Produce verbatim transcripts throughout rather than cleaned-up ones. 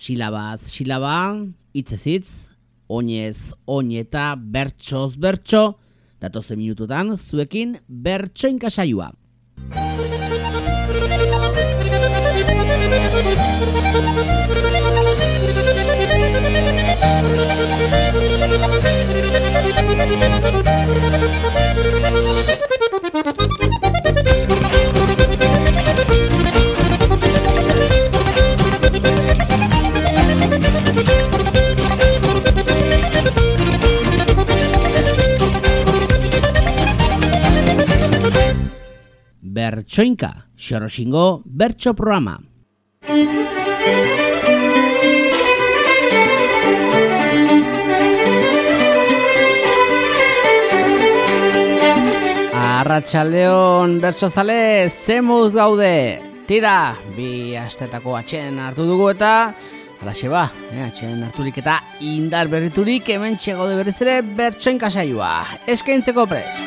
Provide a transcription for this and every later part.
Silabaz silaba, hitzez hitz, oinez oin eta bertsoz bertso, datozen minututan zuekin bertsoinka saioa. Bertsoinka, Xoroxingo bertso programa. Arratsaldeon bertsozale, zemuz gaude. Tira, bi astetako atxen hartu dugu eta halaxe ba, eh, atxen harturik eta indar berriturik hemen txegode berriz ere bertsoinka saioa. Eskaintzeko prest.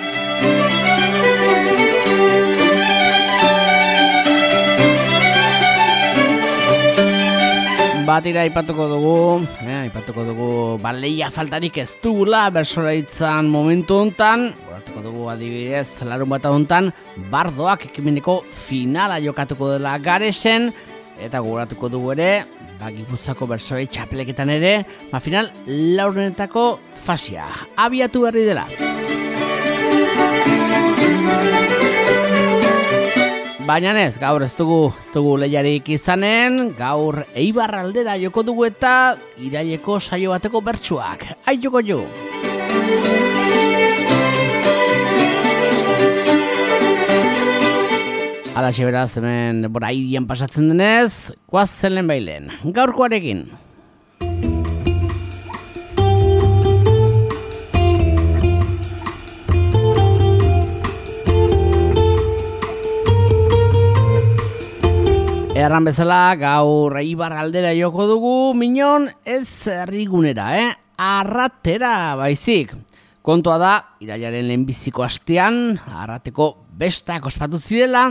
Batira aipatuko dugu, eh, aipatuko dugu baleia faltarik ez dugula bersolaritzan momentu hontan. Goratuko dugu adibidez larun bat hontan bardoak ekimeneko finala jokatuko dela Garesen, eta goratuko dugu ere ba, Gipuzkoako bersolari txapeleketan ere ba, final laurdenetako fasia abiatu berri dela. Baina ez, gaur ez dugu, ez dugu lehiarik izanen, gaur Eibar aldera joko dugu eta iraileko saio bateko bertsuak. Aitoko jo! Halaxe beraz, hemen denbora hirian pasatzen denez, guazen lehen bailen, gaurkoarekin. Erran bezala, gaur Eibar aldera joko dugu, minon ez herrigunera, eh? Arratera baizik. Kontua da, irailaren lehenbiziko astean, Arrateko bestak ospatu zirela,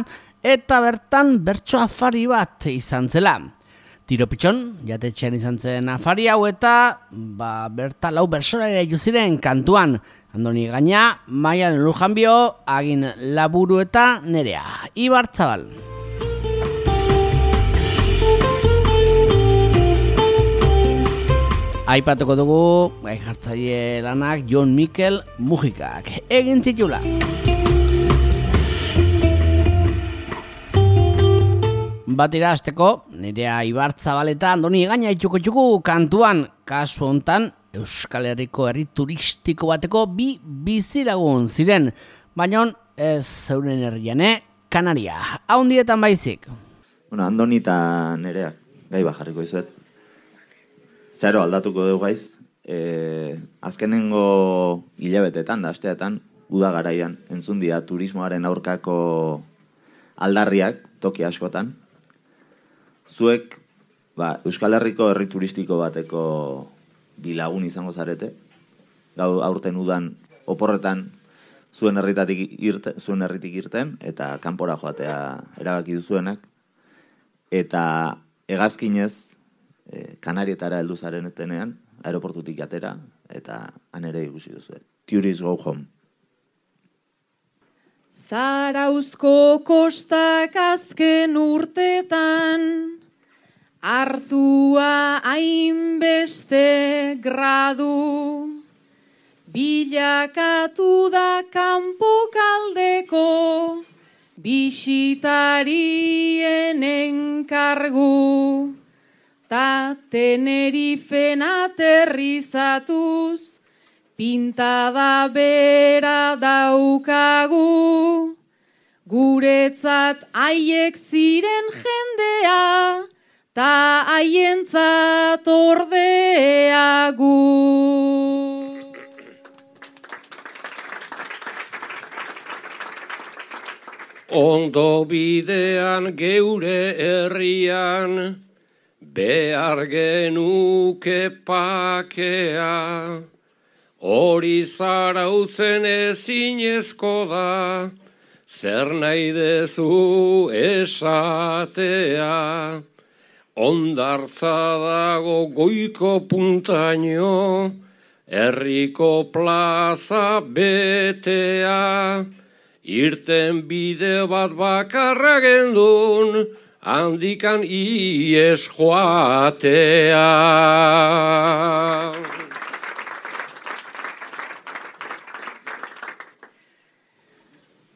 eta bertan bertso afari bat izan zela. Tiro pitxon, jatetxean izan zen afari hau eta ba, berta lau bertsolari jo ziren kantuan. Andoni Gaina, Maialen Lujanbio, Agin Laburu eta Nerea. Ibar Zabal. Aipatuko dugu, gai jartzaile lanak Jon Mikel Mujikak egin zitula. Batira hasteko, Nerea Ibarzabal eta Andoni Gaina itxuko txuku kantuan, kasu hontan Euskal Herriko herri turistiko bateko bi bizilagun ziren, baina ez zeuren herriane Kanaria, haundietan baizik. Bueno, Andoni eta Nerea, gai bajarriko izuet. Zero aldatuko dugu gaiz, e, azkenengo hilabetetan, da asteetan, uda garaian, entzun dira turismoaren aurkako aldarriak, toki askotan. Zuek, ba, Euskal Herriko herri turistiko bateko bilagun izango zarete, gau aurten udan oporretan zuen herritatik irte, zuen herritik irten, eta kanpora joatea erabaki duzuenak, eta hegazkinez, Kanarietara heldu zaren etenean, aeroportutik atera, eta han ere ikusi duzu. Tourists go home. Zarauzko kostak azken urtetan, hartua hainbeste gradu, bilakatu da kanpokaldeko, bisitarien enkargu. Ta Tenerifen aterrizatuz, pintada bera daukagu. Guretzat haiek ziren jendea, ta haientzat ordea gu. Ondo bidean geure herrian, behar genuke pakea, hori zarautzen ezinezko da, zer nahi dezu esatea. Ondartza dago goiko puntaino, herriko plaza betea, irten bide bat bakarra gendun, handikan ies joatea.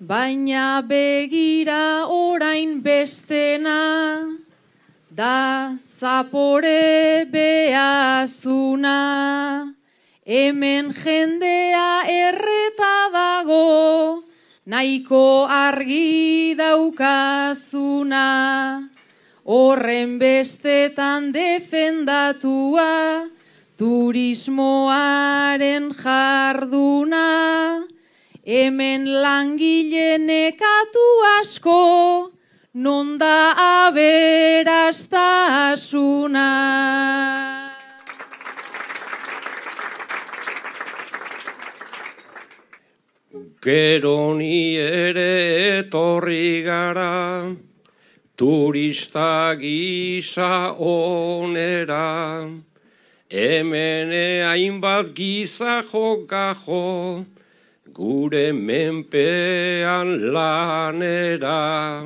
Baina begira orain bestena, da zapore behazuna, hemen jendea erreta dago, nahiko argi daukazuna, horren bestetan defendatua, turismoaren jarduna, hemen langile nekatu asko, non da aberastasuna. Gero ni ere etorri gara, turista gisa onera, hemen hainbat giza jokajo, gure menpean lanera,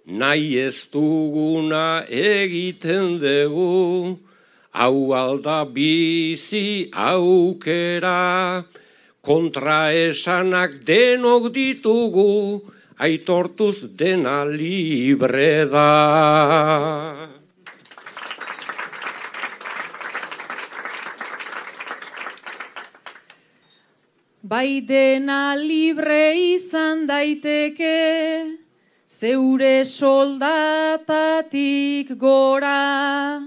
nahi ez duguna egiten dugu, hau alda bizi aukera, kontraesanak denok ditugu, aitortuz dena libre da. Bai dena libre izan daiteke, zeure soldatatik gora,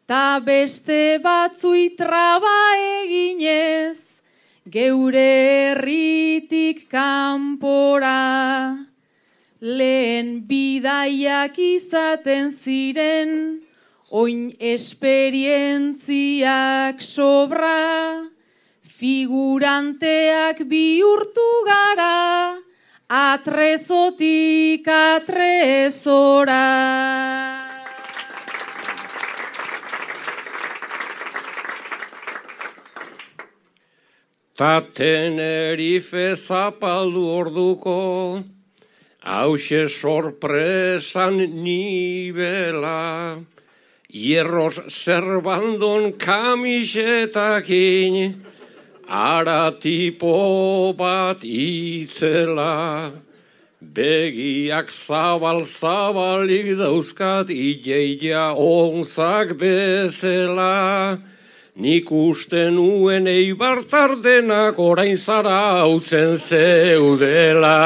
ta beste batzui traba eginez, geure herritik kanpora. Lehen bidaiak izaten ziren, oin esperientziak sobra, figuranteak bihurtu gara, atrezotik atrezora. Ta Tenerife zapaldu orduko, hause sorpresan nibela, hierros zerbandon kamisetakin, ara tipo bat itzela, begiak zabal-zabalik dauzkat ileia onzak bezala, nik uste nuen eibartar denak orain zara hautzen zeudela.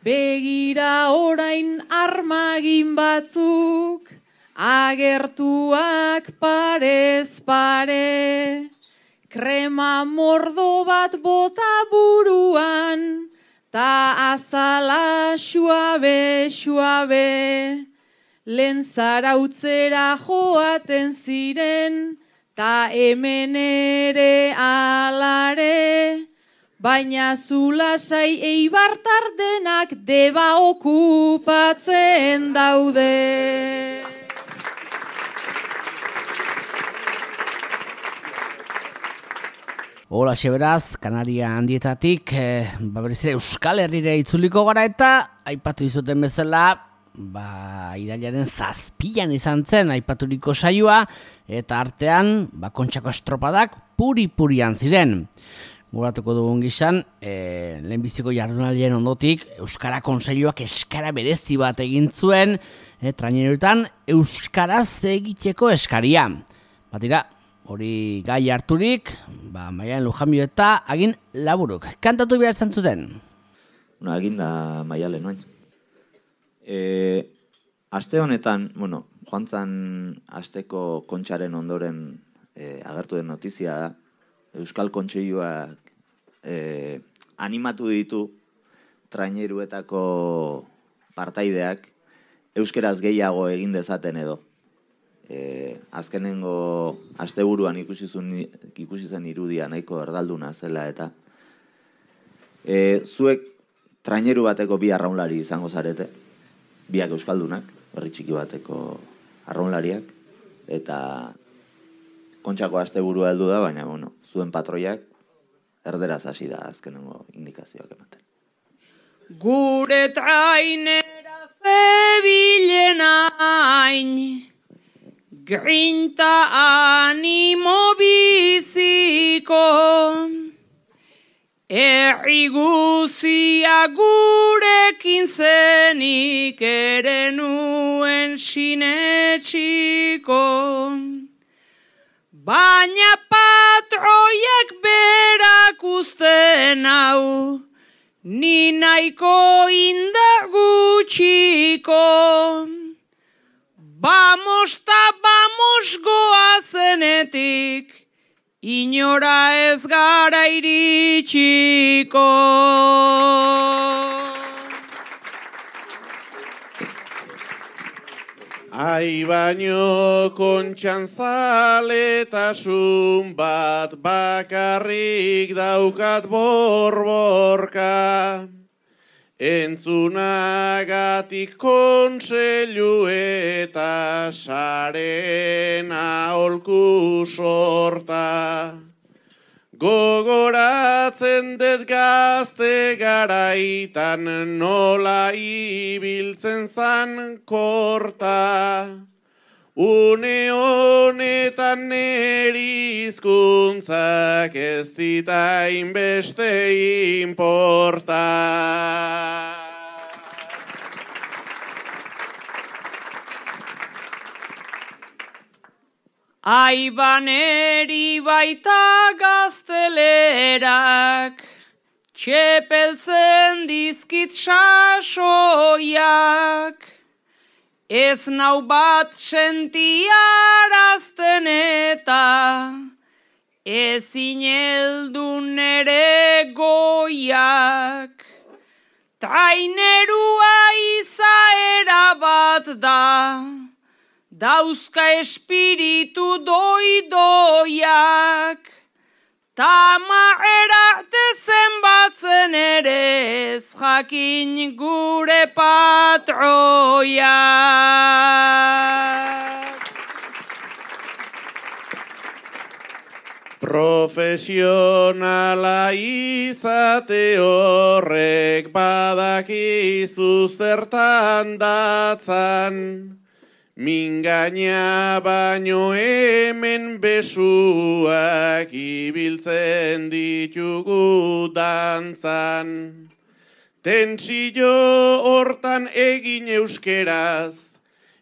Begira orain armagin batzuk, agertuak parez pare, krema mordo bat bota buruan, ta azala suabe, suabe, lehen zarautzera joaten ziren, ta hemen ere alare, baina zulasai eibartar denak deba okupatzen daude. Hola, beraz, Kanaria handietatik, eh, ba, berriz ere Euskal Herrira itzuliko gara eta aipatu izuten bezala, ba, irailaren zazpian izan zen aipaturiko saioa, eta artean, ba, Kontxako estropadak puri-purian ziren. Guratuko dugun gizan, e, lehenbiziko jardunaldien ondotik, Euskara Kontseiluak eskara berezi bat egin zuen, e, traineruetan Euskaraz egiteko eskaria. Batira, hori gai harturik, ba, Maialen Lujambio eta Agin Laburuk. Kantatu behar izan zuten? Bueno, Agin da Maialen, noain. E, aste honetan, bueno, joan zan asteko Kontxaren ondoren e, agertu den notizia da, Euskal Kontseiluak e, animatu ditu traineruetako partaideak euskeraz gehiago egin dezaten edo. E, azkenengo asteburuan ikusi zen irudia nahiko erdalduna zela eta E, zuek traineru bateko bi arraunlari izango zarete, biak euskaldunak, herri txiki bateko arraunlariak, eta Kontxako asteburua heldu da, baina bueno, zuen patroiak erderaz hasi da azkenengo indikazioak ematen. Gure trainera zebilen hain, grinta animo biziko, herri guzia gurekin zenik ere nuen sinetxiko. Baina patroiak berak uzten hau, ni nahiko indar gutxiko. Bamos ta bamos goazenetik, inora ez gara iritsiko. Ai baino kontxan zaletasun bat bakarrik daukat borborka. Entzunagatik kontseilu eta saren aholku sorta. Gogoratzen dut gazte garaitan nola ibiltzen zan korta. Une honetan neri hizkuntzak ez dita inbeste inporta. Aibaneri baita gaztelerak, txepeltzen dizkit sasoiak, ez nau bat sentiarazten eta, ezin heldu nere goiak. Trainerua izaera bat da, dauzka espiritu doidoiak, tamarera zenbatzen ere ez jakin gure patroiak. Profesionala izate horrek badakizu zertan datzan, mingaina baino hemen besuak ibiltzen ditugu dantzan. Tentsio hortan egin euskeraz,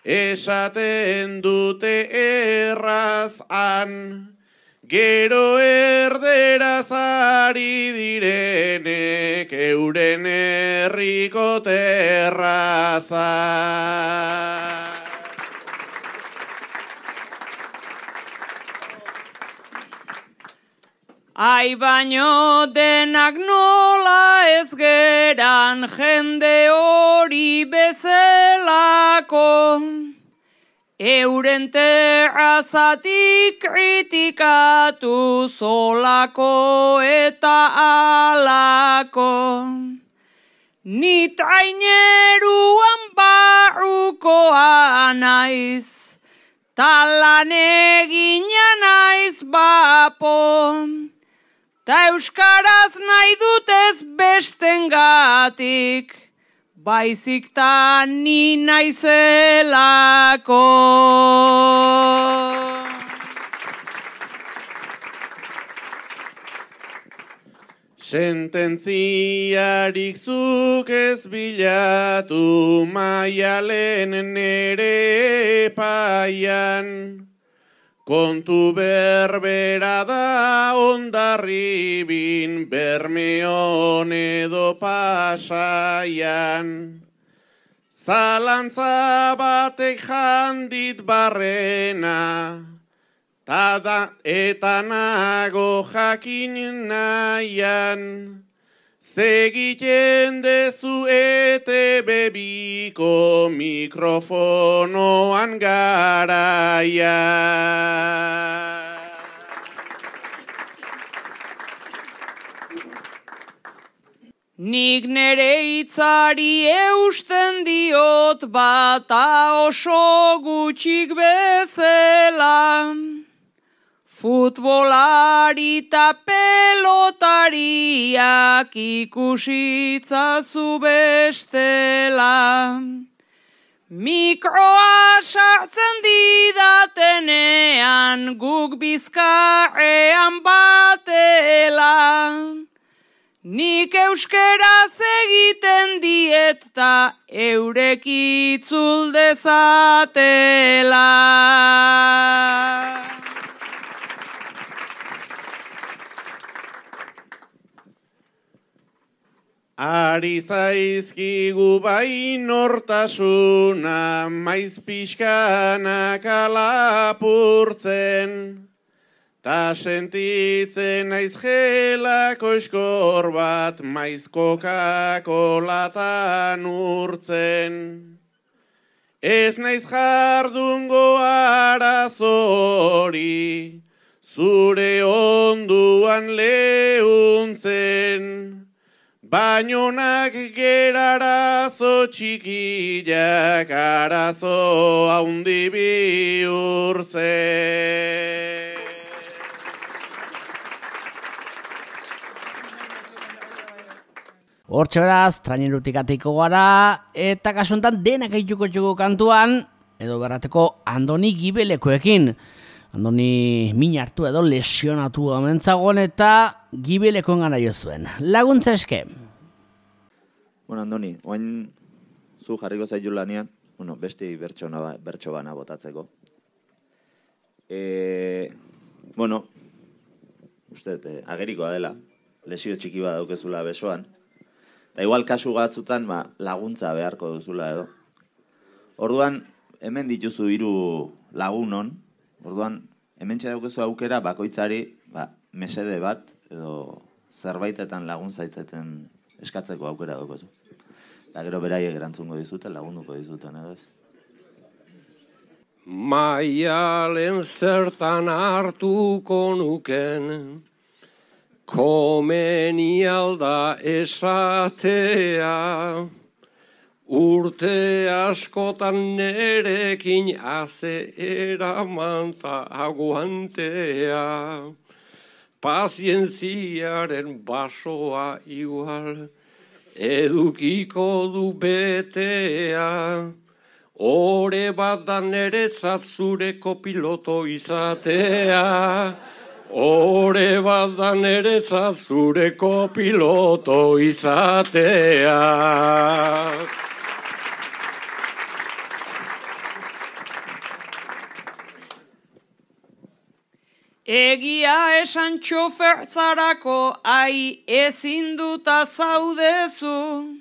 esaten dute erraz han, gero erderaz ari direnek euren herriko terraza. Ai baino denak nola ez geran jende hori bezalako, euren terrazatik kritikatu zolako eta alako. Ni traineruan barrukoa naiz, talan egina naiz bapo, ta euskaraz nahi dutez bestengatik, baizik ta ni naizelako. Sententziarik zuk ez bilatu maialen nere epaian, kontu berbera da Hondarribin Bermeon edo Pasaian. Zalantza batek jandit barrena, tada eta nago jakin nahian, segiten dezu ete bebiko mikrofonoan garaia. Nik nere hitzari eusten diot bata oso gutxik bezala. Futbolari eta pelotariak ikusitzazu bestela. Mikroa sartzen didatenean guk bizkarrean batela. Nik euskeraz egiten diet ta eurek itzul dezatela. Ari zaizkigu bai nortasuna, maiz pixkanak alapurtzen, ta sentitzen naiz gelako eskor bat, maiz Coca-Colatan urtzen. Ez naiz jardungo arazori, zure onduan leuntzen, bainonak gerarazo txikiak arazo haundi bihurtzen. Hortxe beraz, trainerutik atiko gara, eta kasuntan denak eituko txuko kantuan, edo berrateko Andoni Gibelekoekin. Andoni min hartu edo lesionatu amentzagon eta Gibelekoen gana jo zuen. Laguntza eske. Bueno, Andoni, oain zu jarriko zaitu lanian, bueno, besti bertso bana botatzeko. E, bueno, uste, e, agerikoa dela, lesio txiki bat daukezula besoan, eta igual kasu gatzutan ba, laguntza beharko duzula edo. Orduan, hemen dituzu hiru lagunon, orduan, hemen txedaukezu aukera bakoitzari ba, mesede bat edo zerbaitetan laguntzaitzaten eskatzeko aukera daukezu. Eta gero beraiek erantzungo dizuten, lagunduko dizuten edo ez. Maialen zertan hartuko nuken, komeni alda esatea, urte askotan nerekin haze eraman ta aguantea, pazientziaren basoa igual edukiko du betea, ore bat da neretzat zureko piloto izatea, ore bat da neretzat zureko piloto izatea. Egia esan txofertzarako ai ezin duta zaudezu,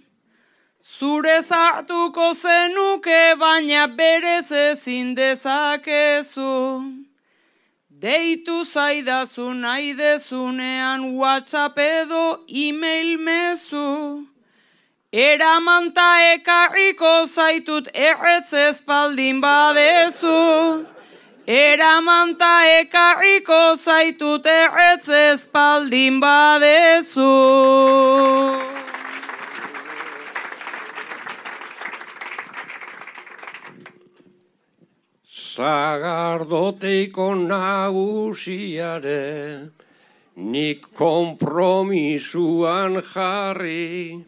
zure zartuko zenuke baina berez ezin dezakezu. Deitu zaidazu nahi dezunean WhatsApp edo e-mail mezu, eraman ta ekarriko zaitut erretzez baldin badezu. Eraman ta ekarriko zaitut erretzez baldin badezu. Sagardoteiko nagusiare, nik konpromisuan jarri,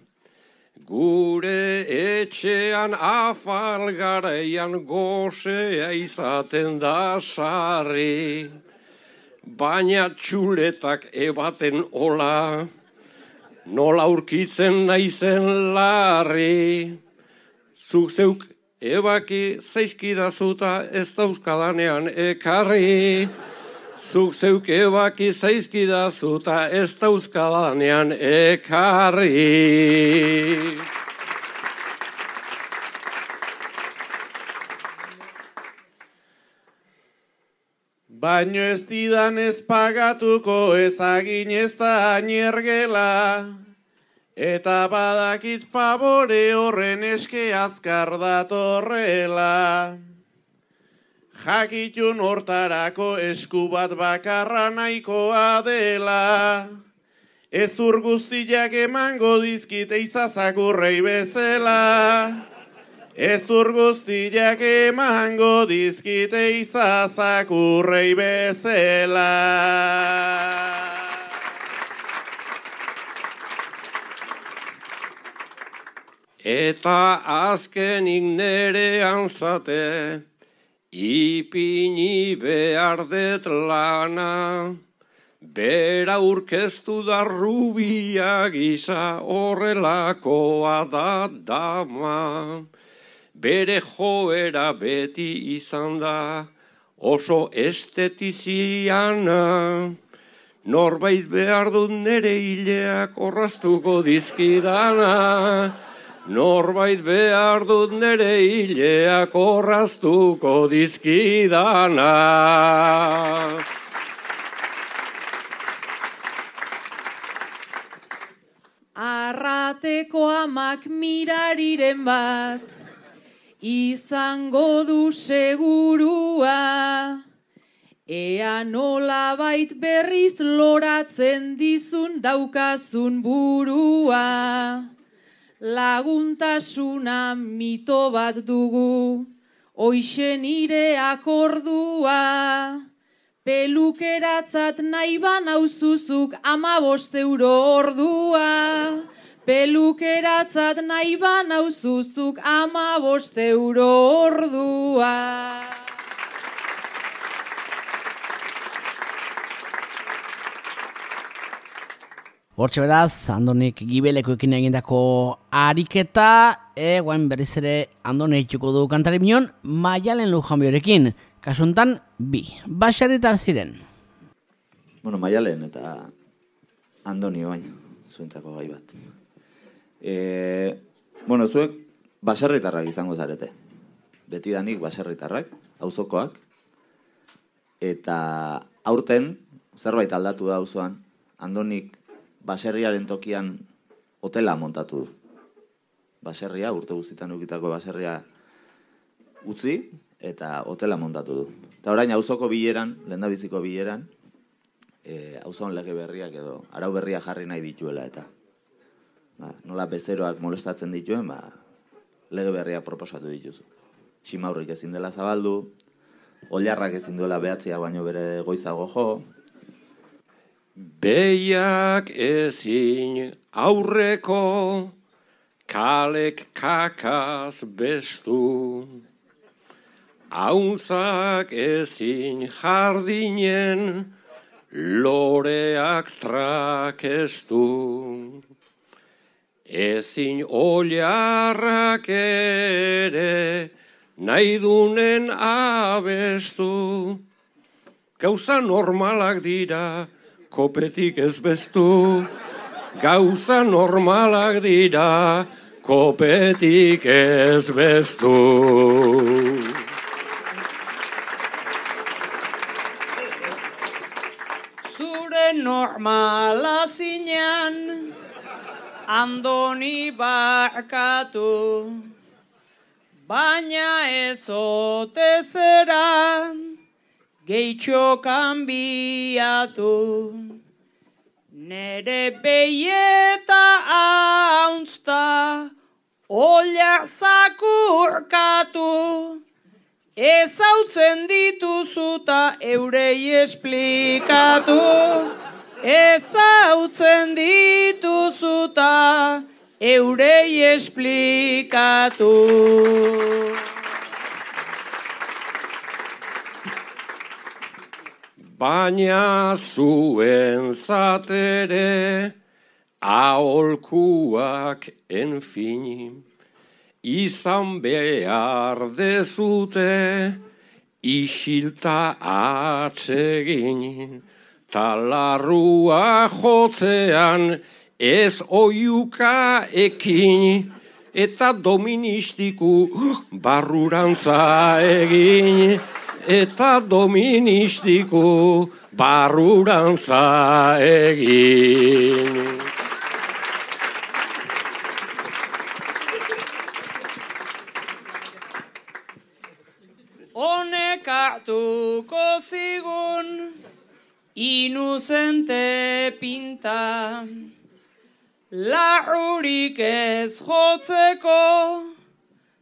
gure etxean afalgaraian gozea izaten da sarri, baina txuletak ebaten ola, nola aurkitzen naizen larri, zuk zeuk ebaki zaizkidazuta ez dauzkadanean ekarri, zuk zeuk ebaki zaizkidazuta ez dauzkadanean ekarri. Baino ez didan ez pagatuko ezagin ez da niergela, eta badakit favore horren eske azkar datorrela. Jakitun hortarako esku bat bakarra nahikoa dela, ezur guztiak emango dizkite izazakurrei bezala. Ezur guztiak emango dizkite izazakurrei bezala. Eta azkenik nerean zate, ipini behar det lana, bera urkeztu da rubia gisa horrelakoa da dama. Bere joera beti izan da oso estetiziana, norbait behar dut nere hileak orraztuko dizkidana. Norbait behar dut nere hileak orraztuko dizkidana. Arrateko amak mirariren bat, izango du segurua, ea nolabait berriz loratzen dizun daukazun burua. Laguntasuna mito bat dugu, hoixe nire akordua. Pelukeratzat nahi banauzuzuk amabost euro ordua. Pelukeratzat nahi banauzuzuk amabost euro ordua. Hortxe beraz, Andonik Gibelekoekin egindako ariketa, e, guain berriz ere Andone itxuko du kantari minon, Maialen Lujanbiorekin, kasuntan bi, baserritar ziren. Bueno, Maialen eta Andoni bain, zuentzako gai bat. E, bueno, zuek baserritarrak izango zarete. Betidanik baserritarrak, auzokoak, eta aurten zerbait aldatu da auzoan, Andonik baserriaren tokian hotela montatu du. Baserria, urte guztietan ukitako baserria utzi eta hotela montatu du. Eta orain auzoko bileran, lehendabiziko bileran, e, auzoan lege berriak edo arau berria jarri nahi dituela eta ba, nola bezeroak molestatzen dituen, ba, lege berria proposatu dituzu. Simaurrik ezin dela zabaldu, oilarrak ezin duela behatzia baino bere goizago jo, Behiak ezin aurreko kalek kakaz bestu, auntzak ezin jardinen loreak trakestu, ezin oliarrak ere nahi dunen abestu, gauza normalak dira, kopetik ez bestu, gauza normalak dira, kopetik ez bestu. Zure normala zinean, Andoni barkatu, baina ez ote zera, gehitxo kanbiatu. Nere behieta hauntzta, oilar zakurkatu, ezautzen dituzuta eurei esplikatu. Ezautzen dituzuta eurei esplikatu. Baina zuen zatere aholkuak enfini, izan behar dezute isilta atsegin, talarrua jotzean ez oiuka ekin, eta doministiku barrurantza egin. Eta doministiku barrurantza egin. Honek hartuko zigun inuzente pinta, Larrurik ez jotzeko,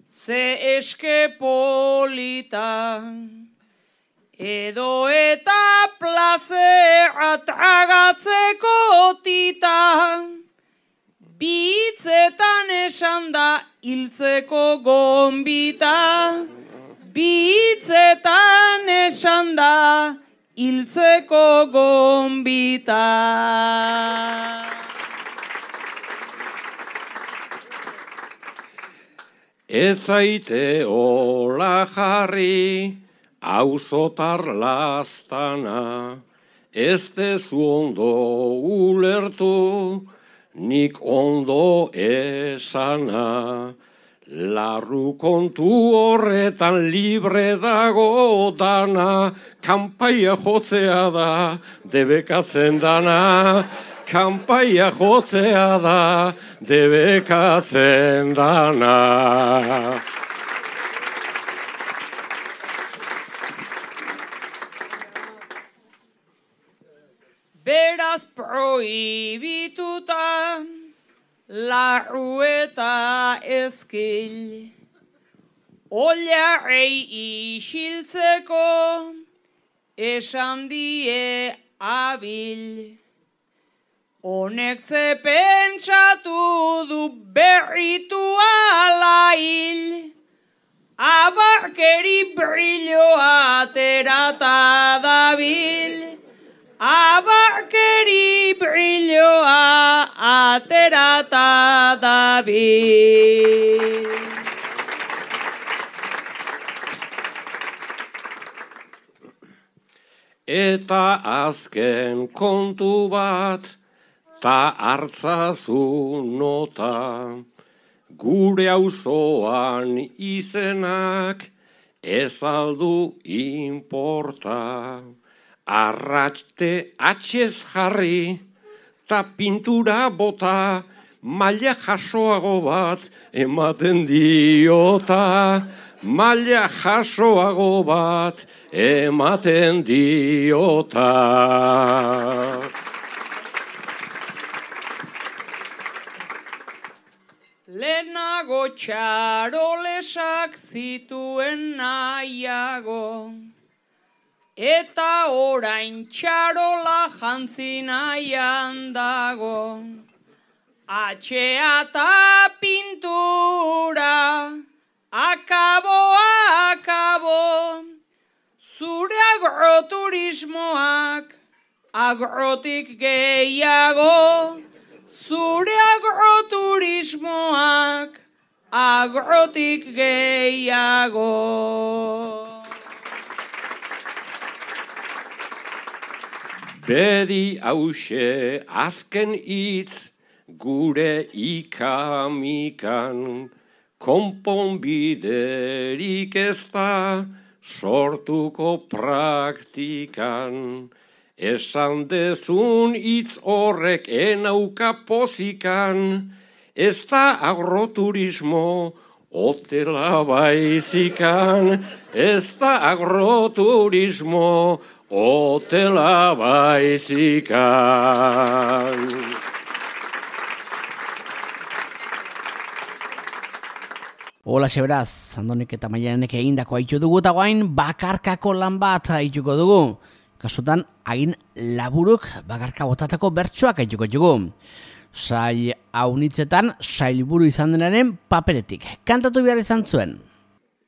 ze eske polita. Edo eta plazera tragatzeko tita. Bitzetan esan da hiltzeko gonbita. Bitzetan esan da hiltzeko gonbita. Ez zaite hola jarri, auzotar lastana, ez dezu ondo ulertu, nik ondo esana. Larru kontu horretan libre dago dana, kanpaia jotzea da, debekatzen dana. Kanpaia jotzea da, debekatzen dana. Beraz prohibituta, larru eta ezkil. Oliarrei isiltzeko, esan die abil. Honek ze pentsatu du berritu ala hil, abarkeri brilloa aterata dabil, abarkeri brilloa aterata dabil. Eta azken kontu bat, ta hartzazu nota, gure auzoan izenak ez aldu inporta. Arratste atxez jarri, ta pintura bota, maila jasoago bat ematen diota. Maila jasoago bat ematen diota. Lehenago txarolesak zituen nahiago, eta orain txarola jantzi nahian dago. Atxea eta pintura, akabo, akabo, zure agroturismoak, agrotik gehiago. Zure agroturismoak, agrotik gehiago. Bedi hause azken hitz gure ikamikan, konponbiderik ez da sortuko praktikan. Esan dezun hitz horrek enauka pozikan, ez da agroturismo hotela baizikan, ez da agroturismo hotela baizikan. Hola beraz, Andonik eta Maianek egindako haitu dugu eta guain bakarkako lan bat haituko dugu. Kasutan, hagin laburuk bakarka botatako bertsoak haituko dugu. Sail haunitzetan, sailburu izan denaren paperetik. Kantatu behar izan zuen.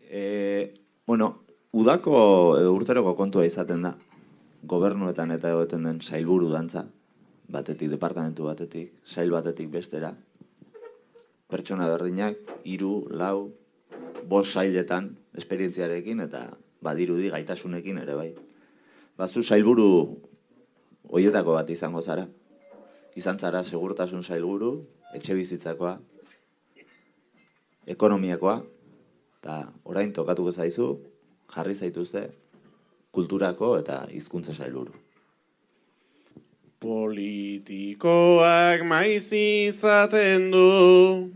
E, bueno, udako edo urteroko kontua izaten da. Gobernuetan eta egoten den sailburu dantza. Batetik, departamentu batetik, sail batetik bestera. Pertsona berdinak, hiru, lau, bost sailetan, esperientziarekin eta badirudi gaitasunekin ere bai. Bazu sailburu hoietako bat izango zara. Izan zara segurtasun sailburu, etxe bizitzakoa, ekonomiakoa, eta orain tokatuko zaizu, jarri zaituzte, kulturako eta hizkuntza sailburu. Politikoak maiz izaten du,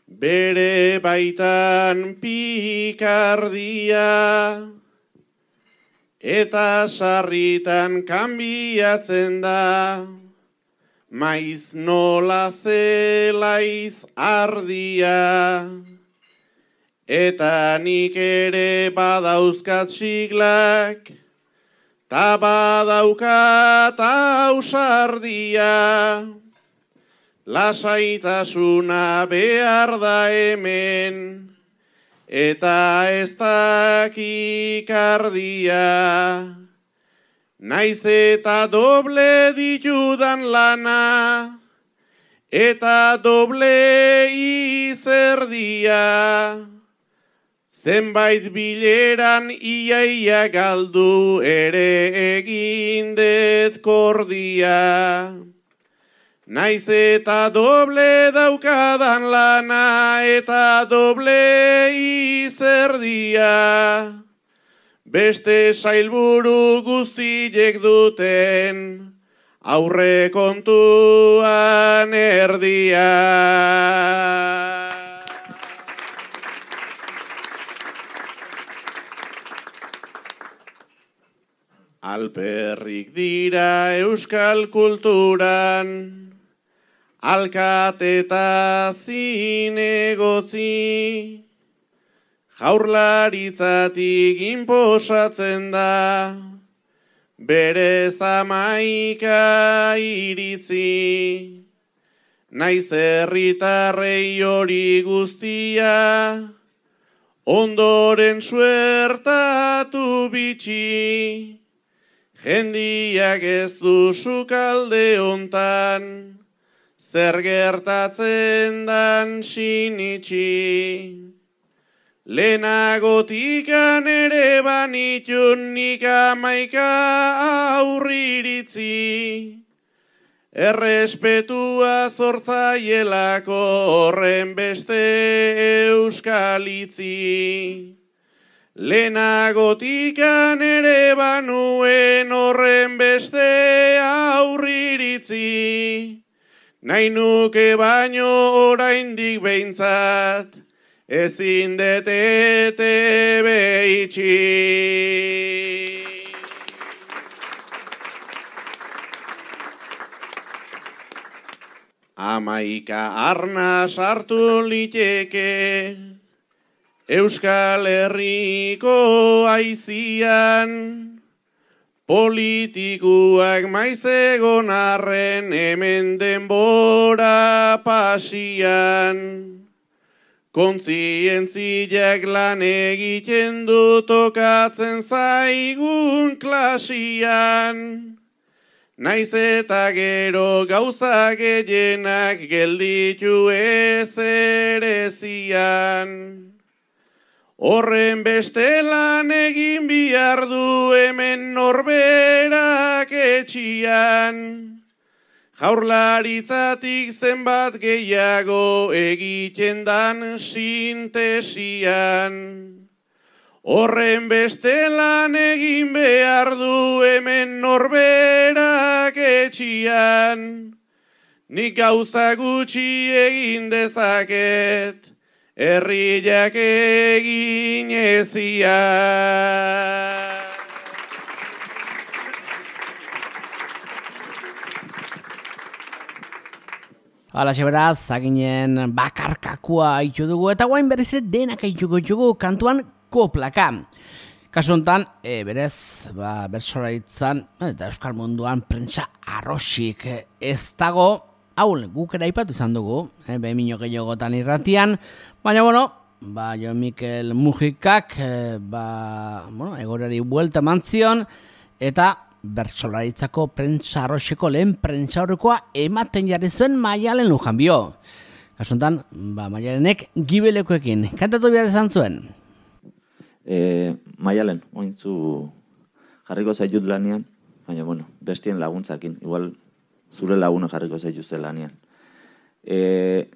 bere baitan pikardia, eta sarritan kanbiatzen da, maiz nola zelaiz ardia, eta nik ere badauzkat siglak, ta badaukat ausardia, lasaitasuna behar da hemen, eta ez dakikardia. Naiz eta doble ditudan lana, eta doble izerdia. Zenbait bileran iaia galdu ere egindet kordia. Naiz eta doble daukadan lana, eta doble izerdia. Beste sailburu guztiek duten aurre kontuan erdia. Alperrik dira euskal kulturan, alkate eta zinegotzi, jaurlaritzatik inposatzen da, bere zamaika iritzi. Naiz herritarrei hori guztia, ondoren suertatu bitxi. Jendiak ez du sukalde hontan, zer gertatzen dan sinitxi. Lehenagotikan ere banitun nik amaika aurriritzi, errespetua zortzaielako horren beste euskalitzi. Lehenagotikan ere banuen horren beste aurriritzi, nahi nuke baino oraindik behintzat, ezin detete behitxi. Amaika arna sartu liteke, Euskal Herriko aizian, politikuak maiz egon arren hemen denbora pasian. Kontzientziak lan egiten du tokatzen zaigun klasian. Naiz eta gero gauza gehienak gelditu ezerezian. Horren beste lan egin behar du hemen norberak etxian. Jaurlaritzatik zenbat gehiago egiten dan sintesian. Horren beste lan egin behar du hemen norberak etxian. Nik gauza gutxi egin dezaket, herriak egin ezian. Hala, beraz, zaginen bakarkakua haitu dugu, eta guain berriz denak haituko dugu kantuan koplaka. Kasu honetan, e, berez, ba, bertsolaritzan, eta euskal munduan prentsa arrosik ez dago, hau guk ere aipatu izan dugu, e, behemino gehiagotan irratian, baina, bueno, ba, Jo Mikel Mujikak, e, ba, bueno, egorari buelta mantzion, eta bertsolaritzako prentsa arroxeko lehen prentsa horrekoa ematen jarri zuen Maialen Lujanbio. Kasu honetan, ba, Maialenek gibelekoekin, kantatu behar izan zuen. E, Maialen, ointzu jarriko zaitut lanian, baina, bueno, bestien laguntzakin, igual zure laguna jarriko zaituzte lanian. E,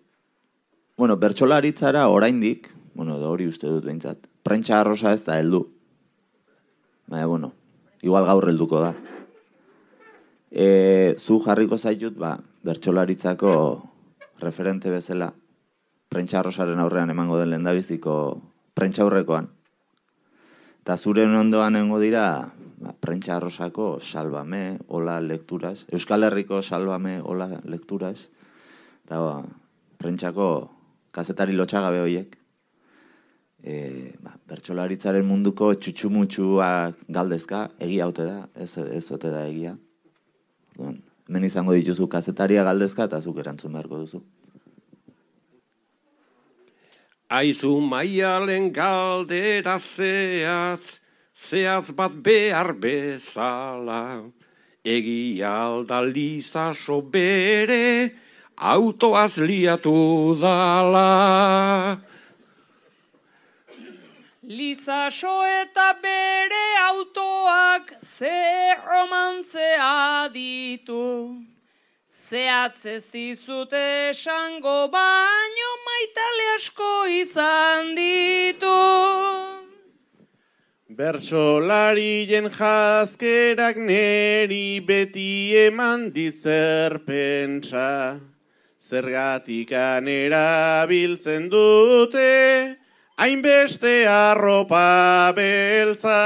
bueno, bertsolaritzara oraindik, bueno, da hori uste dut behintzat, prentsa arrosa ez da heldu. Baina, bueno, igual gaur helduko da. E, zu jarriko zaitut, ba, bertsolaritzako referente bezala, prentsa arrosaren aurrean emango den lehendabiziko prentsa aurrekoan. Eta zure ondoan nengo dira ba, Prentsa Arrosako Salvame, hola lekturas, Euskal Herriko Salvame, hola lekturas, eta ba, prentsako kazetari lotxagabe horiek, e, ba, bertsolaritzaren munduko txutxumutxuak galdezka, egia haute da, ez, ez ote da egia. Bon, hemen izango dituzu kazetaria galdezka eta zuk erantzun beharko duzu. Aizu maialen galdera zehatz, zehatz bat behar bezala, egia aldalizaso bere, autoaz liatu dala. Lizaso eta bere autoak ze romantzea ditu. Zehatz ez dizute esango baino maitale asko izan ditu. Bertsolarien jazkerak neri beti eman ditzer pentsa. Zergatikan erabiltzen dute, hainbeste arropa beltza.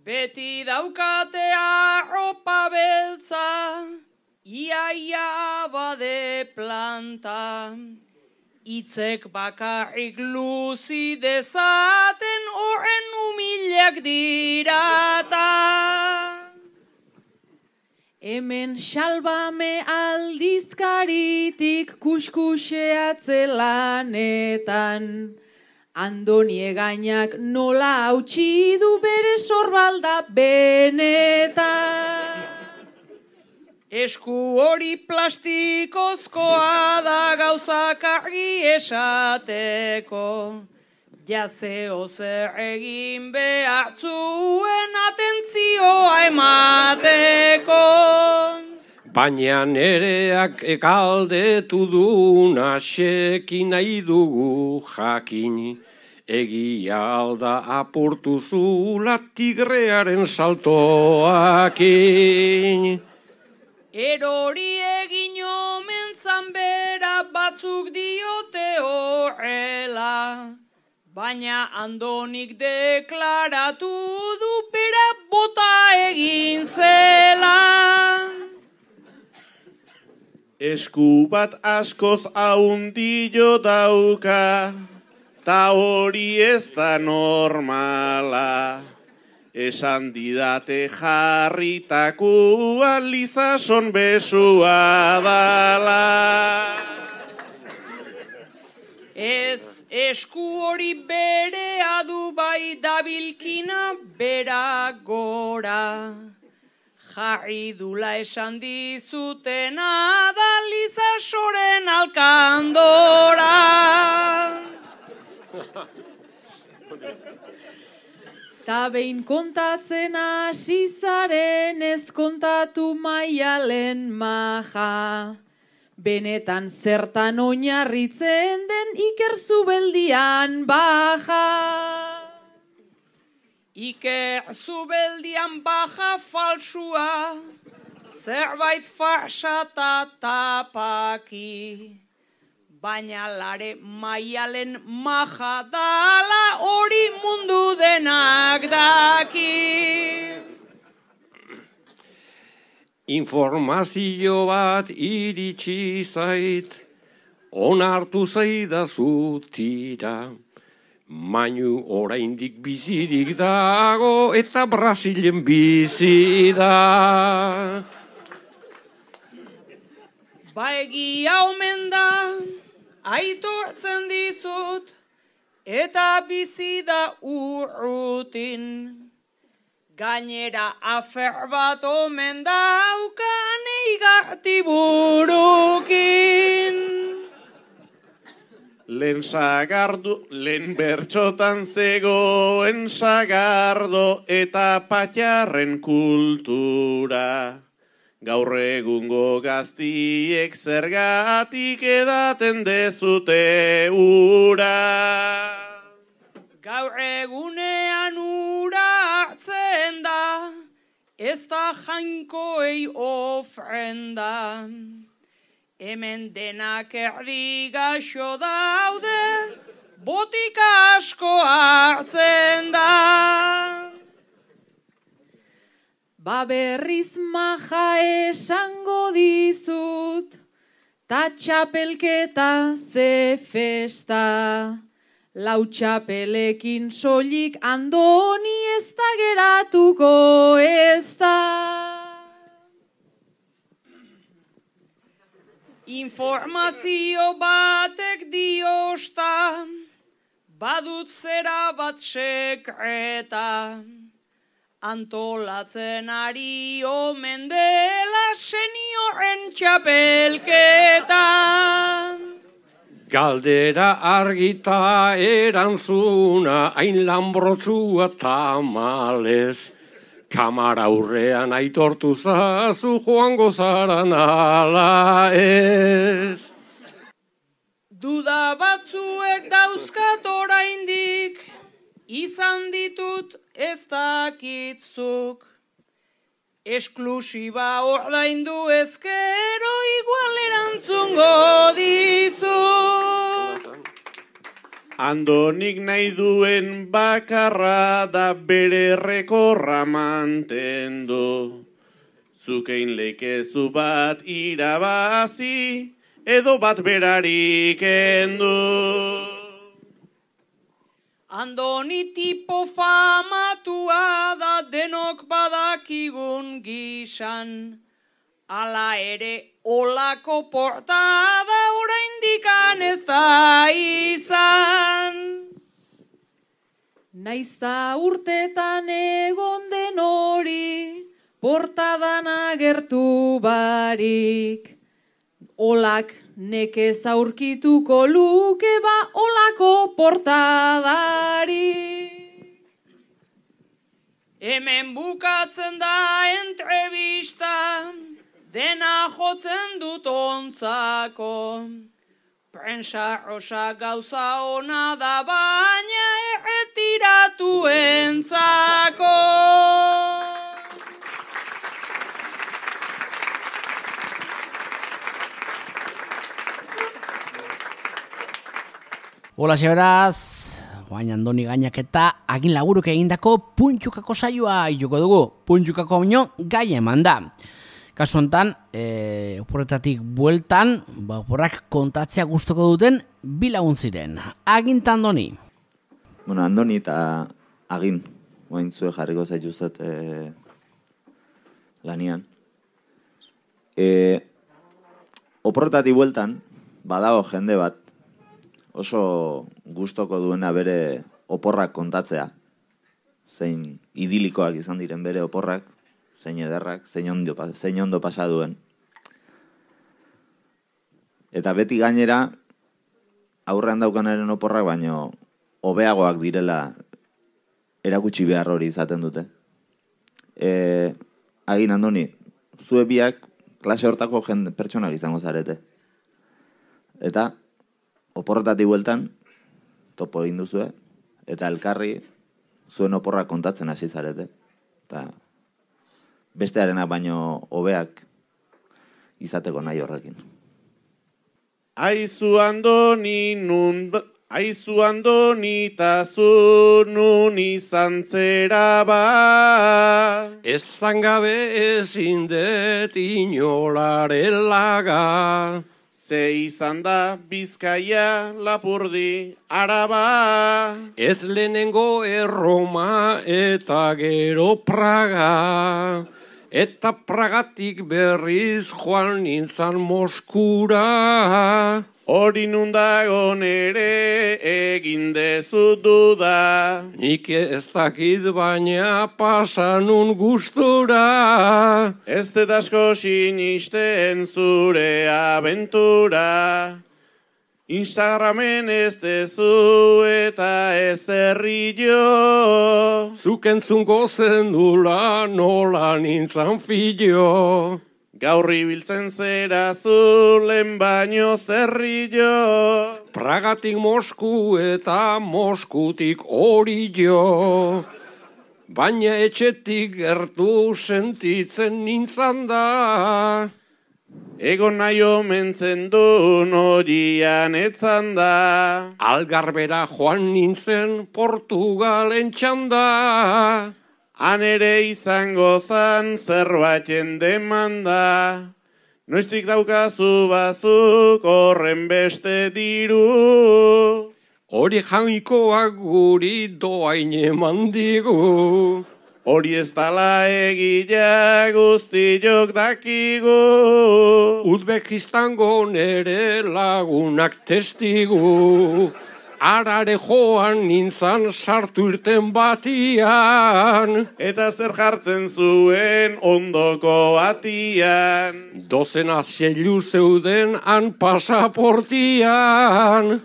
Beti daukate arropa beltza, iaia abade planta. Itzek bakarrik luzi dezaten horren humilak dirata. Hemen Salvame aldizkaritik kuskuseatze lanetan. Andoni Egainak nola hautsi du bere sorbalda benetan. Esku hori plastikozkoa da gauzak argi esateko. Jazeo zer egin behar zuen atentzioa emateko. Baina nereak ekaldetu duna seki nahi dugu jakin. Egia alda apurtu zula tigrearen saltoakin. Erori egin omen zanbera batzuk diote horrela. Baina Andonik deklaratu du bera bota egin zela. Esku bat askoz haundillo dauka, ta hori ez da normala. Esan didate jarritakua Lizason besua dala. Ez esku hori berea du bai dabilkina bera gora. Jarri dula esan dizutena da Lizasoren alkandora. Ta behin kontatzen hasi zaren ez kontatu maialen maja. Benetan zertan oinarritzen den Iker Zubeldian baja. Iker Zubeldian baja falsua, zerbait farsata tapaki. Baina lare maialen maja dala hori mundu denak daki. Informazio bat iritsi zait, onartu zaidazu tira. Mainu oraindik bizirik dago eta Brasilen bizi da. Ba egia omen da, aitortzen dizut, eta bizi da urrutin. Gainera afer bat omen daukan eigarti burukin. Lehen sagardu, lehen bertxotan zegoen sagardo eta patxarren kultura. Gaur egungo gaztiek zergatik edaten dezute ura. Gaur egunean ura hartzen da, ez da jainkoei ofrenda. Hemen denak erdi gaxo daude, botika asko hartzen da. Ba berriz maja esango dizut, ta txapelketa ze festa. Lau txapelekin soilik Andoni ez da geratuko ez da. Informazio batek diosta, badut zera bat sekreta. Antolatzen ari omen dela senioren txapelketa. Galdera argita erantzuna, hain lanbrotzua tamalez. Kamara aurrean aitortu zazu joango zaran ala ez. Duda batzuek dauzkat oraindik, izan ditut ez dakitzuk. Esklusiba ordaindu ezkero igual erantzungo dizut. Andonik nahi duen bakarra da bere rekorra mantendu. Zukein leikezu bat irabazi, edo bat berarik endu. Andoni tipo famatua da denok badakigun gisan. Hala ere olako portada oraindikan ez da izan. Naizta urtetan egon den hori, portadan agertu barik. Olak nekez aurkituko luke ba olako portadari. Hemen bukatzen da entrevista, dena jotzen dut ontzako. Prensa rosa gauza ona da baina erretiratu entzako. Hola, beraz, guain Andoni Gainak eta Agin Laguruk egindako Puntxukako saioa joko dugu. Puntxukako baino gai eman da. Kasu honetan, e, oporretatik bueltan, ba, oporrak kontatzea gustoko duten bi lagun ziren. Agin eta Andoni. Bueno, Andoni eta Agin, guain zue jarriko zaituzet e, lanian. E, oporretatik bueltan, badago jende bat, oso gustoko duena bere oporrak kontatzea. Zein idilikoak izan diren bere oporrak, zein ederrak, zein ondo, zein ondo pasa duen. Eta beti gainera, aurrean daukanaren oporrak, baino hobeagoak direla erakutsi behar hori izaten dute. E, Agin Andoni, zue biak klase hortako jende pertsonak izango zarete. Eta oporretatik bueltan, topo egin duzue, eta elkarri zuen oporrak kontatzen hasi zarete. Eta bestearenak baino hobeak izateko nahi horrekin. Aizu Andoni nun, aizu Andoni ta zu nun izan zera ba. Ez zangabe ezin det inolaren laga. Ze izan da Bizkaia, Lapurdi, Araba. Ez lehenengo Erroma eta gero Praga. Eta Pragatik berriz joan nintzan Moskura. Hori nundagon ere egin dezu duda. Nik ez dakit baina pasanun gustura. Ez dut asko sinisten zure abentura. Instagramen ez dezu eta ez errillo. Zuk entzungo zendula nola nintzan fillo. Gaur ibiltzen zera zulen baino zerrillo. Pragatik Mosku eta Moskutik Orillo. Baina etxetik gertu sentitzen nintzan da. Egon nahi omentzen duen horian etzan da. Algarbera joan nintzen Portugalen txanda. Han ere izango zan zerbaiten demanda, noiztik daukazu bazuk horren beste diru. Hori jainkoak guri doain eman digu. Hori ez dala egila guztiok dakigu. Uzbekistango nere lagunak testigu. Arare joan nintzan sartu irten batian. Eta zer jartzen zuen ondoko atian. Dozena xelu zeuden han pasaportian.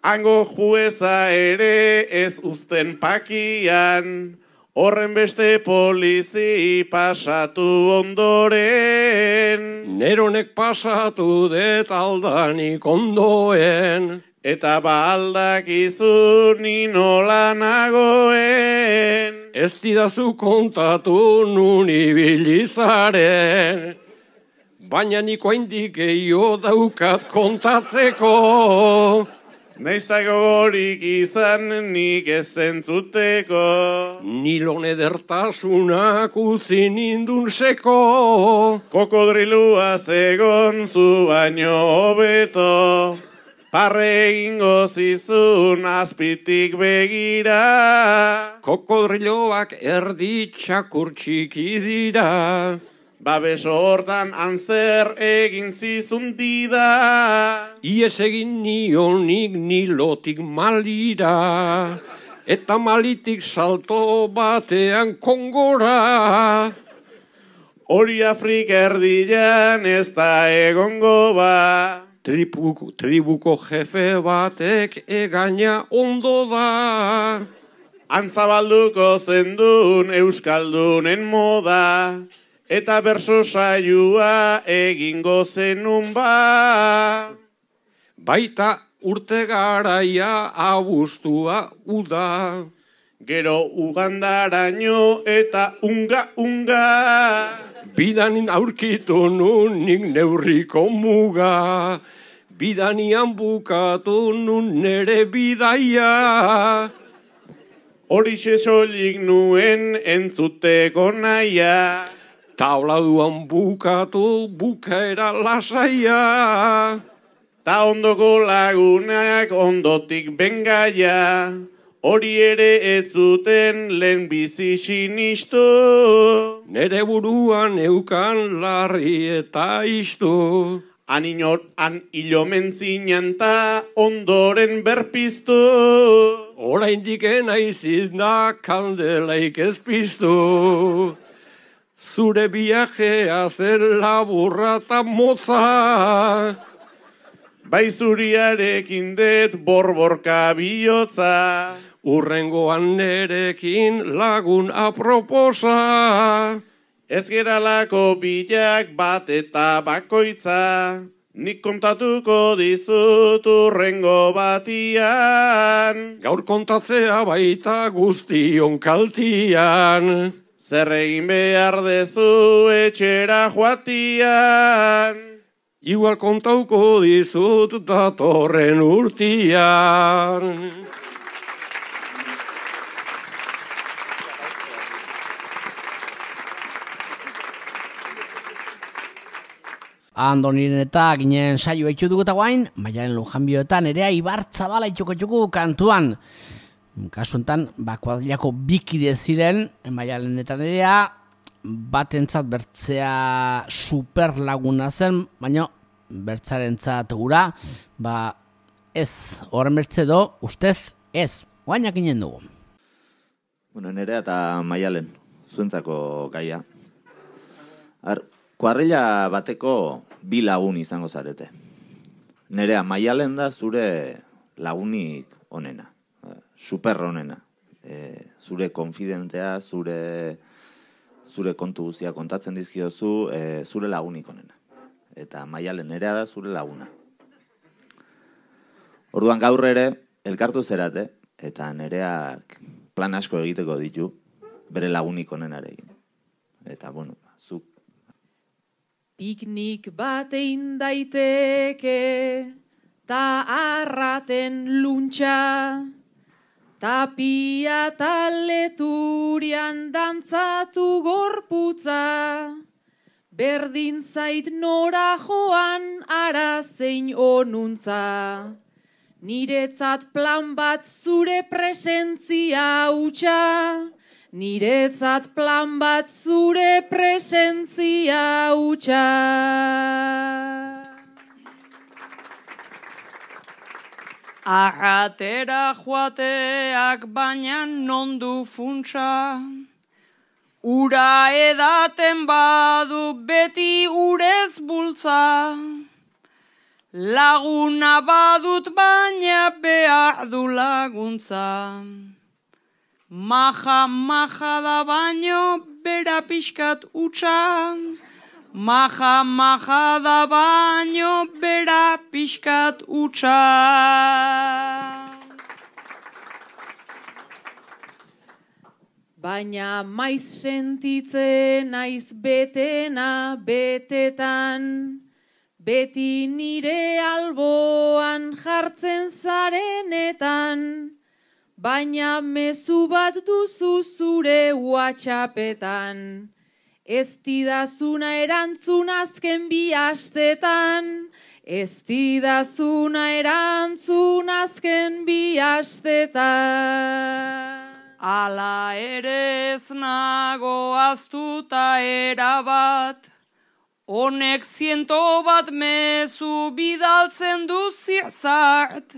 Hango jueza ere ez uzten pakian. Horren beste polizi pasatu ondoren. Neronek pasatu det aldanik ondoen. Eta ba aldakizu ni nola nagoen. Ez didazu kontatu nun ibilizaren. Baina niko haindik gehiago daukat kontatzeko. Naiztako gorik izan nik ez entzuteko. Nilon edertasunak utzi nindun seko. Kokodrilua zegon zu baino hobeto. Parre egingo zizun azpitik begira. Kokodriloak erdi txakur txiki dira. Babeso hortan antzer egin zizun dida. Ies egin nionik nilotik malira. Eta malitik salto batean kongora. Hori Afrika erdian ez da egongo ba. Tribuko, tribuko jefe batek egaina ondo da. Antzabalduko zendun euskaldunen moda. Eta berso saioa egingo zenun ba. Baita urte garaia abuztua uda. Gero ugandaraino eta unga-unga. Bidanin aurkitu nun nik neurriko muga. Bidanian bukatu nun nere bidaia. Horixe soilik nuen entzuteko naia. Tauladuan bukatu bukaera lasaia. Ta ondoko lagunak ondotik bengaia. Hori ere ez zuten lehen bizi sinistu. Nere buruan eukan larri eta istu. Han inor, han ilomen zinan ta ondoren berpiztu. Oraindik naizit da kandelaik ez piztu. Zure viajea zen laburra eta motza. Bai zuriarekin det borborka bihotza. Urrengoan nerekin lagun aproposa. Ez geralako bilak bat eta bakoitza. Nik kontatuko dizut urrengo batian. Gaur kontatzea baita guztion kaltian. Zer egin behar dezu etxera joatian. Igual kontauko dizut datorren urtian. Andoniren eta ginen saio etxu dugu eta guain, Maialen Lujanbioetan erea Ibarzabala itxuko txuku kantuan. Kasu enten, ba, kuadrilako bikide ziren, Maialenetan erea, batentzat bertzea super laguna zen, baina bertzarentzat gura, ba, ez, horren bertze do, ustez, ez, guainak ginen dugu. Bueno, nerea eta Maialen, zuentzako gaia. Ar, kuadrilla bateko bi lagun izango zarete. Nerea, Maialen da zure lagunik onena, super onena. E, zure konfidentea, zure, zure kontu guztia kontatzen dizkiozu, e, zure lagunik onena. Eta Maialen, nerea da zure laguna. Orduan gaur ere, elkartu zerate, eta nereak plan asko egiteko ditu, bere lagunik onenarekin. Eta, bueno, zuk. Piknik bat egin daiteke, ta arraten luntxa, Tapia taleturian dantzatu gorputza, berdin zait nora joan ara zein onuntza. Niretzat plan bat zure presentzia hutsa, niretzat plan bat zure presentzia hutsa. Arratera joateak baina nondu funtsa, ura edaten badu beti urez bultza, laguna badut baina behar du laguntza. Maja, maja da baino bera pixkat utxa, maja, maja da baino bera pixkat utxa. Baina maiz sentitzen naiz betena betetan, beti nire alboan jartzen zarenetan, baina mezu bat duzu zure WhatsAppetan. Ez didazuna erantzun azken bi astetan, ez didazuna erantzun azken bi astetan. Ala ere ez nago aztuta erabat, honek ziento bat mezu bidaltzen du zirzart,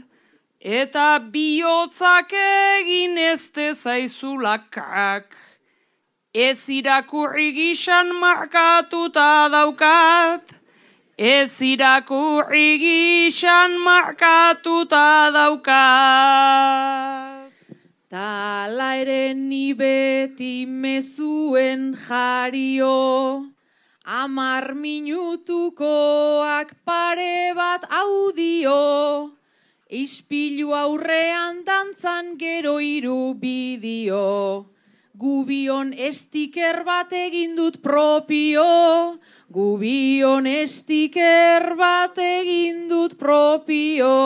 eta bihotzak egin ez dezaizulakak. Ez irakurri gisan markatuta daukat, ez irakurri gisan markatuta daukat. Tala ere ni beti mezuen jario, amar minutukoak pare bat audio, ispilu aurrean dantzan gero hiru bideo. Gubion stiker bat egin dut propio, gubion stiker bat egin dut propio.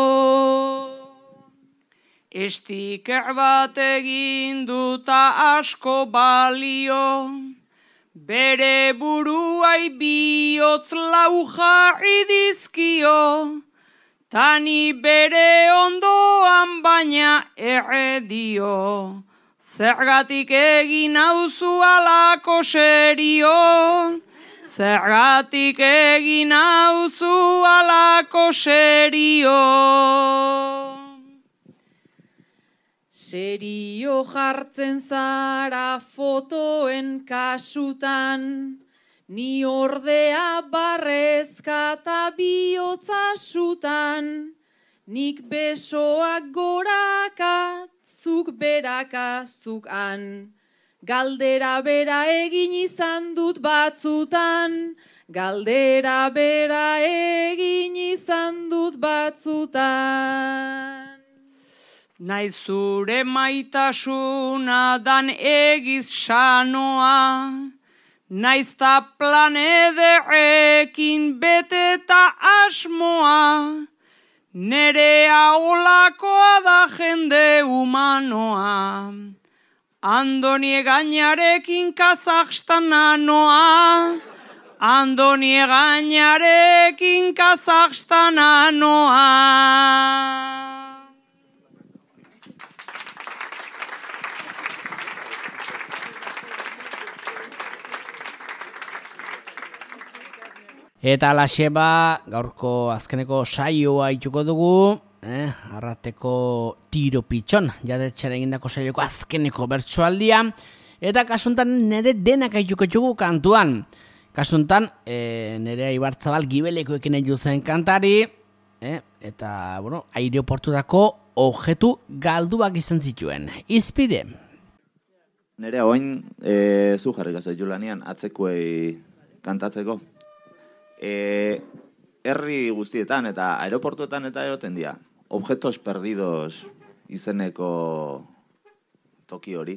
Stiker bat egin duta asko balio, bere buruai bihotz lau jarri dizkio, tani bere ondoan baina erredio. Zergatik egin hauzu alako serio, zergatik egin hauzu alako serio. Serio jartzen zara fotoen kasutan, ni ordea barrezka eta bihotza sutan, nik besoak goraka, zuk beraka, zuk han. Galdera bera egin izan dut batzutan, galdera bera egin izan dut batzutan. Naiz zure maitasuna dan egiz sanoa, naiz ta plan ederrekin beteta asmoa, nerea olakoa da jende humanoa. Andoni egainarekin Kazakstana noa, Andoni egainarekin Kazakstana noa. Eta alaxe ba, gaurko azkeneko saioa ituko dugu, eh, arrateko tiro pitxon, jadetxera egindako saioko azkeneko bertsoaldia, eta kasuntan nire denak aituko txugu kantuan. Kasuntan, eh, nire Ibarzabal gibelekoekin egin zen kantari, eh, eta, bueno, aireoportutako objektu galduak izan zituen. Izpide. Nire oin, e, zu jarrik azaitu lanian, atzekuei kantatzeko. E, herri guztietan eta aeroportuetan eta egoten dira. Objetos perdidos izeneko toki hori,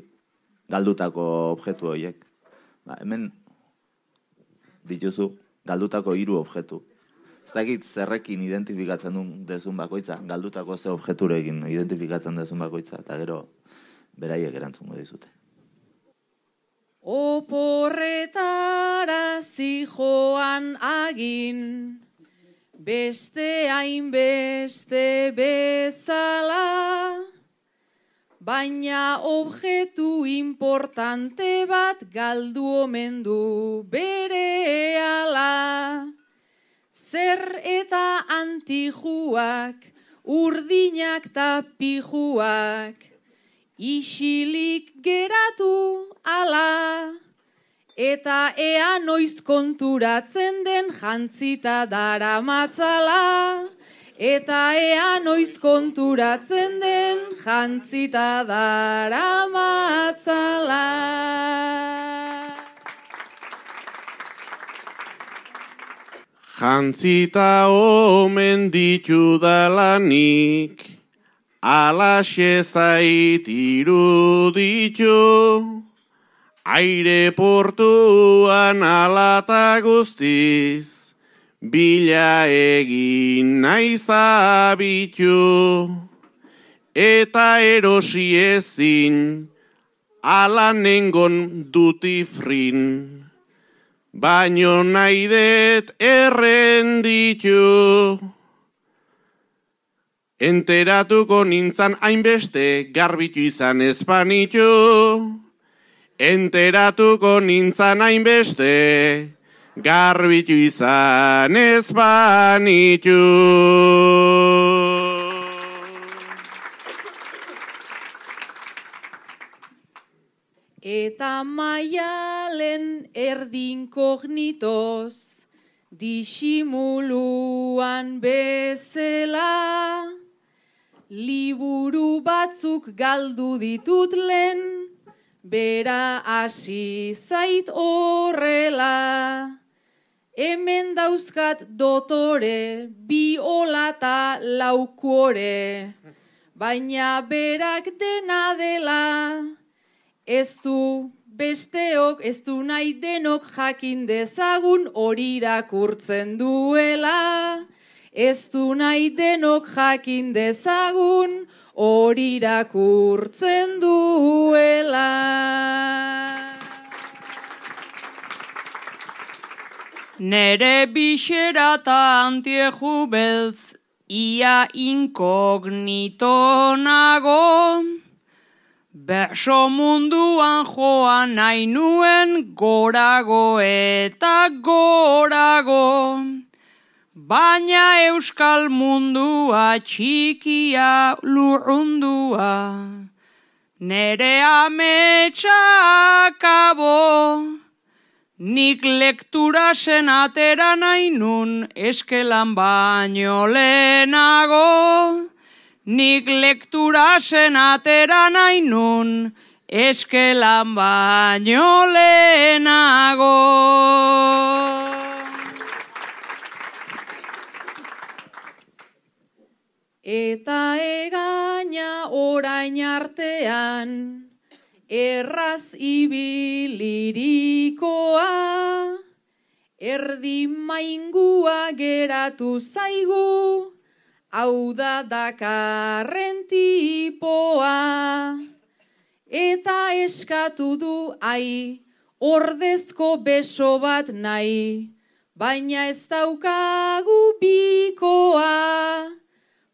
galdutako objektu horiek. Ba, hemen dituzu galdutako hiru objektu. Ez dakit zerrekin identifikatzen duen dezun bakoitza, galdutako ze objekturekin identifikatzen dezun bakoitza, eta gero beraiek erantzungo dizute. Oporretara zijoan agin, beste hainbeste bezala, baina objektu importante bat galdu omen du berehala. Zer eta antijuak, urdinak ta pijuak, isilik geratu ala, eta ea noiz konturatzen den jantzita daramatzala, eta ea noiz konturatzen den jantzita daramatzala. Jantzita omen ditudalanik, alaxe zait iruditu, aireportuan alata guztiz, bila egin naiz abitu, eta erosi ezin, ala nengon duty free. Baino nahi det errenditu. Enteratuko nintzan hainbeste garbitu izan espanitu. Enteratuko nintzan hainbeste garbitu izan espanitu. Eta maialen erdinkognitoz, disimuluan bezala, liburu batzuk galdu ditut lehen, bera hasi zait horrela. Hemen dauzkat dotore, bi olata laukuore, baina berak dena dela. Ez du besteok, ez du nahi denok jakin dezagun hori irakurtzen duela. Ez du nahi denok jakin dezagun hori irakurtzen duela. Nere bixera ta antieju beltz, ia inkognito nago. Berso munduan joan nahi nuen gorago eta gorago. Baina euskal mundua txikia lurrundua. Nere ametsa akabo. Nik lektura zen atera nahi nun eskelan baino lehenago. Nik lektura zen atera nahi nun eskelan baino lehenago. Eta egaina orain artean, erraz ibilirikoa, erdi maingua geratu zaigu, hau da dakarren tipoa. Eta eskatu du ai, ordezko beso bat nahi, baina ez daukagu bikoa.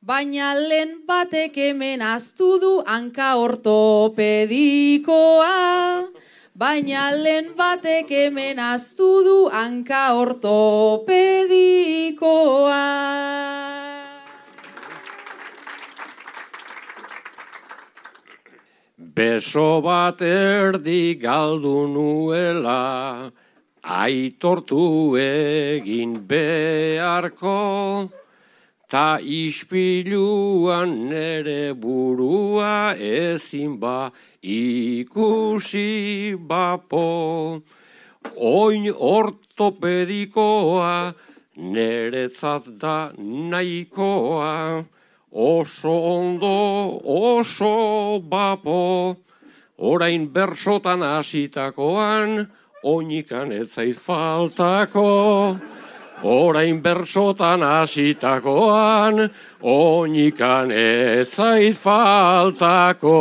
Baina lehen batek hemen aztu du hanka ortopedikoa. Baina lehen batek hemen aztu du hanka ortopedikoa. Beso bat erdi galdu nuela, aitortu egin beharko, ta ispiluan nere burua ezin ba ikusi bapo. Oin ortopedikoa neretzat da nahikoa, oso ondo, oso bapo. Orain bersotan hasitakoan, oinikan ez zait faltako. orain bersotan hasitakoan, oinikan ez zait faltako.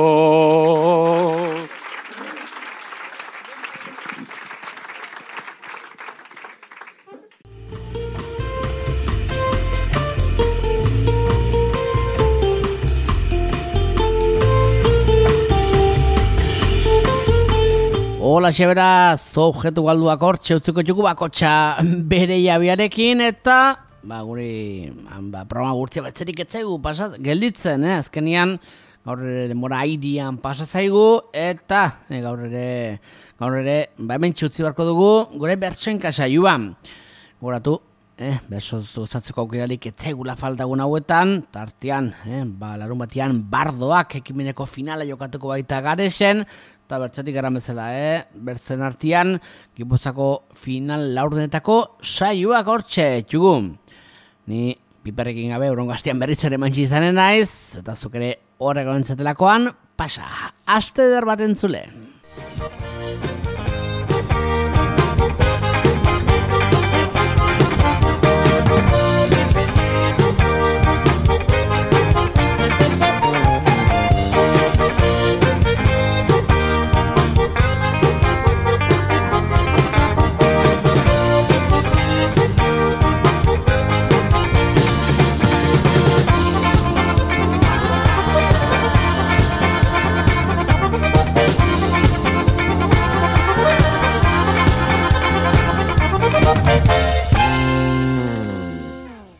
Hola, xeberaz, objektu galduak hortxe utziko txuku bakotxa bere jabiarekin, eta ba, guri ba, programa gurtzia bertzerik etzaigu pasat, gelditzen, eh? Azkenian gaur ere demora airian pasa zaigu, eta eh, gaur ere, gaur ere ba, hemen txutzi barko dugu gure bertsoen kasaioan. Goratu, eh, bersoz osatzeko aukerarik etzaigula faltagun hauetan, tartean, eh, ba, larun batian bardoak ekimeneko finala jokatuko baita Garesen, eta bertzetik gara bezala, eh? Bertzen artean, Gipuzako final laurdenetako saioak hortxe, txugu. Ni piperrekin gabe urrongo astean berritzare mantxi izanen naiz, eta zuk ere horrek onentzatelakoan, pasa, aste eder bat entzule.